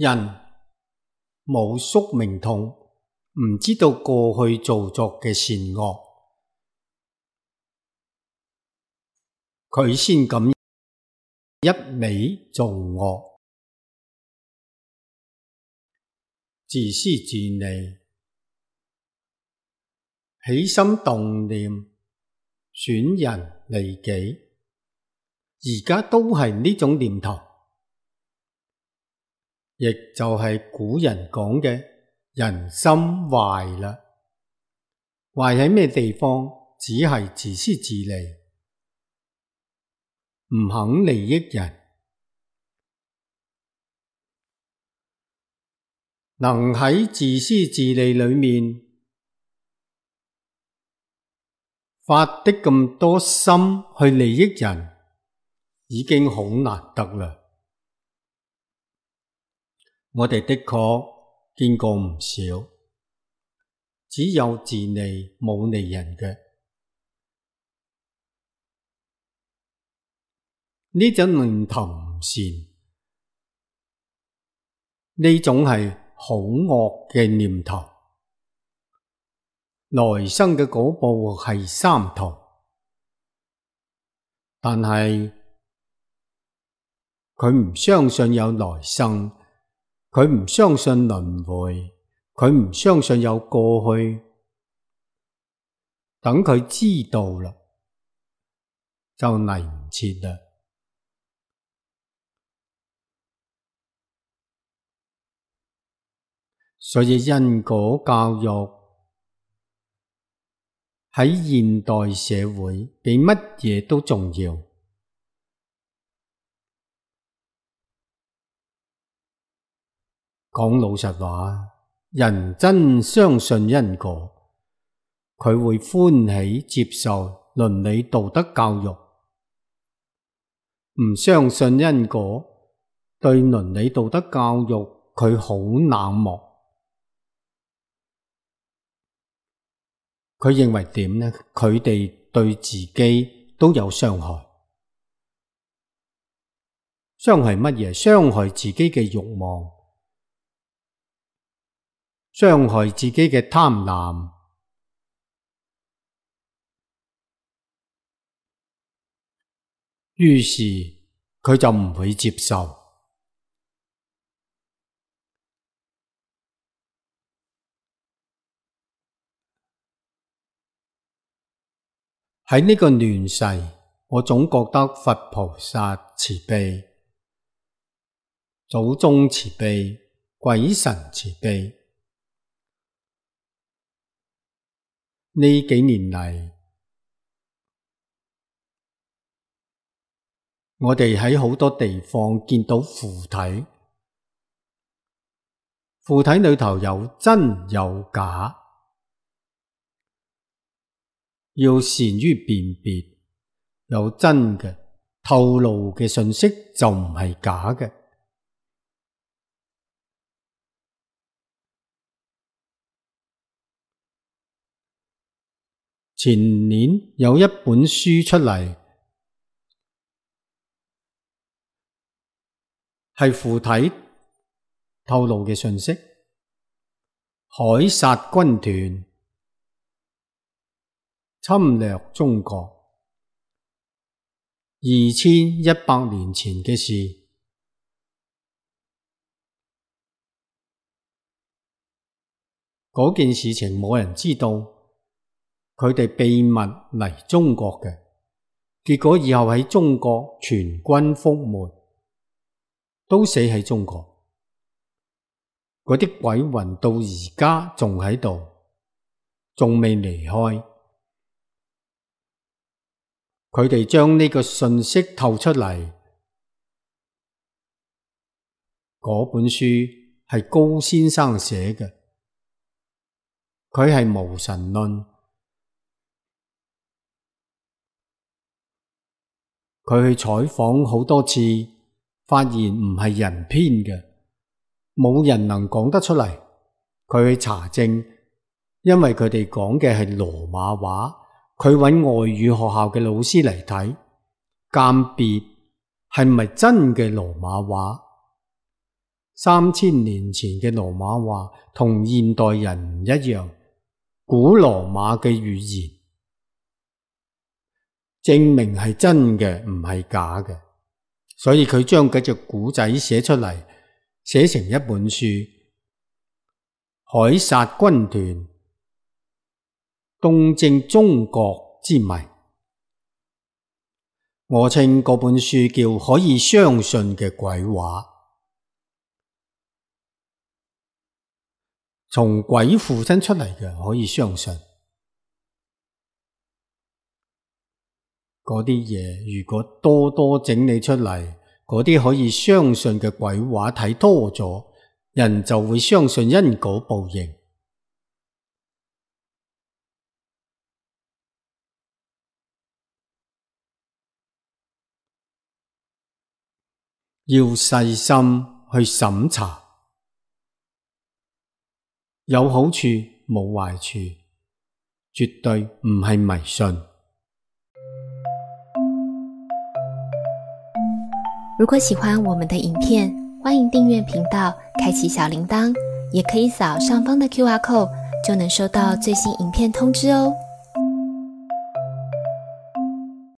人冇宿命通，唔知道過去做作嘅善惡，佢先敢一味做惡，自私自利，起心動念損人利己，而家都係呢種念頭，亦就係古人講嘅人心壞啦。壞喺咩地方？只係自私自利，唔肯利益人。能喺自私自利裏面發的咁多心去利益人，已經好難得啦。我哋的確見過唔少，只有自利冇利人嘅。呢種念頭唔善，呢種係好惡嘅念頭。來生嘅嗰部係三途，但係佢唔相信有來生，佢唔相信輪迴，佢唔相信有過去。等佢知道啦，就嚟唔切啦。所以因果教育喺現代社會比乜嘢都重要。講老實話，人真相信因果，佢會歡喜接受倫理道德教育；唔相信因果，對倫理道德教育佢好冷漠。佢認為點呢？佢哋對自己都有傷害。傷害乜嘢？傷害自己嘅慾望，傷害自己嘅貪婪。於是佢就唔會接受。喺呢個亂世，我總覺得佛菩薩慈悲，祖宗慈悲，鬼神慈悲。呢幾年嚟，我哋喺好多地方見到附體，附體裏頭有真有假。要善於辨別，有真嘅透露嘅信息就唔係假嘅。前年有一本書出嚟，係附體透露嘅信息，海殺軍團侵略中國2100年前嘅事。嗰件事情冇人知道，佢哋秘密嚟中國嘅，結果以後喺中國全軍覆沒，都死喺中國。嗰啲鬼魂到而家仲喺度，仲未離開。佢哋將呢個信息透出嚟，嗰本書係高先生寫嘅，佢係無神論。佢去採訪好多次，發現唔係人編嘅，冇人能講得出嚟。佢去查證，因為佢哋講嘅係羅馬話。佢揾外語學校嘅老師嚟睇，鑑別係咪真嘅羅馬話， 3000年前嘅羅馬話同現代人唔一樣，古羅馬嘅語言，證明係真嘅，唔係假嘅。所以佢將嗰隻古仔寫出嚟，寫成一本書，凱撒軍團東征中國之謎。我稱嗰本書叫可以相信嘅鬼話。從鬼附身出嚟嘅可以相信，嗰啲嘢如果多多整理出嚟，嗰啲可以相信嘅鬼話睇多咗，人就會相信因果報應。要細心去審查，有好處冇壞處，絕對唔係迷信。如果喜歡我們的影片，歡迎訂閱頻道，開啟小鈴鐺，也可以掃上方的QR code，就能收到最新影片通知哦。